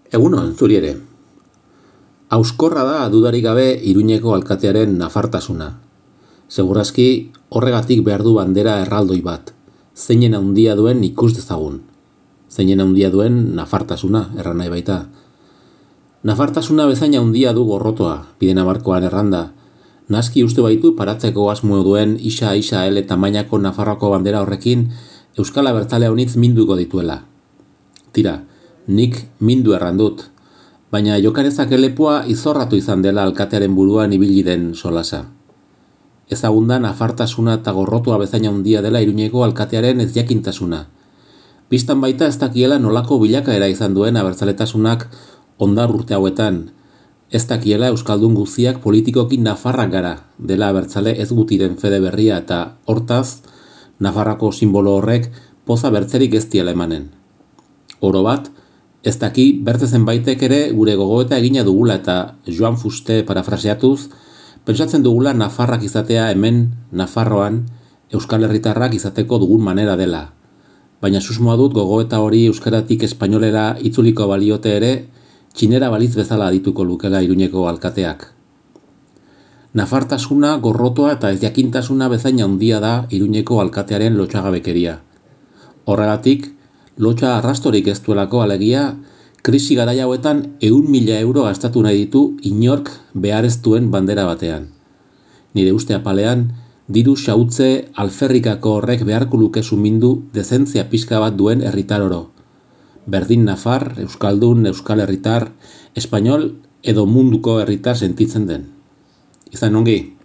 Egunon, zuri ere. Hauskorra da dudarik gabe Iruñeko alkatearen nafartasuna. Segurazki horregatik behar du bandera erraldoi bat. Zeinen handia duen ikus dezagun. Zeinen handia duen nafartasuna, erran nahi baita. Nafartasuna bezain handia du gorrotoa, bidena markoan erranda. Naski uste baitu paratzeko asmo duen isa ele tamainako Nafarroako bandera horrekin Euskal Abertzale honitz minduko dituela. Tira, nik mindu errandut, baina jokarezak lepoa izorratu izan dela alkatearen buruan ibili den solasa. Ezagundan nafartasuna eta gorrotua bezain handia dela Iruñeko alkatearen ezjakintasuna. Bistan baita ez dakiela nolako bilakaera izan duen abertzaletasunak ondar urte hauetan. Ez dakiela Euskaldun guziak politikoki Nafarrak gara dela abertzale ez gutiren fede berria eta hortaz, Nafarrako simbolo horrek poza bertzerik ez diela emanen. Oro bat, ez daki bertze zenbaitek ere gure gogoeta egina dugula eta Joan Fuste parafraseatuz, pentsatzen dugula Nafarrak izatea hemen, Nafarroan, Euskal Herritarrak izateko dugun manera dela. Baina susmoa dut gogoeta hori euskaratik espainolera itzuliko baliote ere, txinera baliz bezala adituko lukela Iruñeko alkateak. Nafartasuna, gorrotoa eta ezjakintasuna bezain handia da Iruñeko alkatearen lotxagabekeria. Horregatik, lotxa arrastorik ez duelako alegia, krisi garai hauetan 100.000 euro gastatu nahi ditu inork behar ez duen bandera batean. Nire uste apalean, diru xautze alferrikako horrek beharko luke sumindu dezentzia pixka bat duen herritar oro. Berdin Nafar, Euskaldun, Euskal Herritar, Espainol edo munduko herritar sentitzen den. Izan ongi.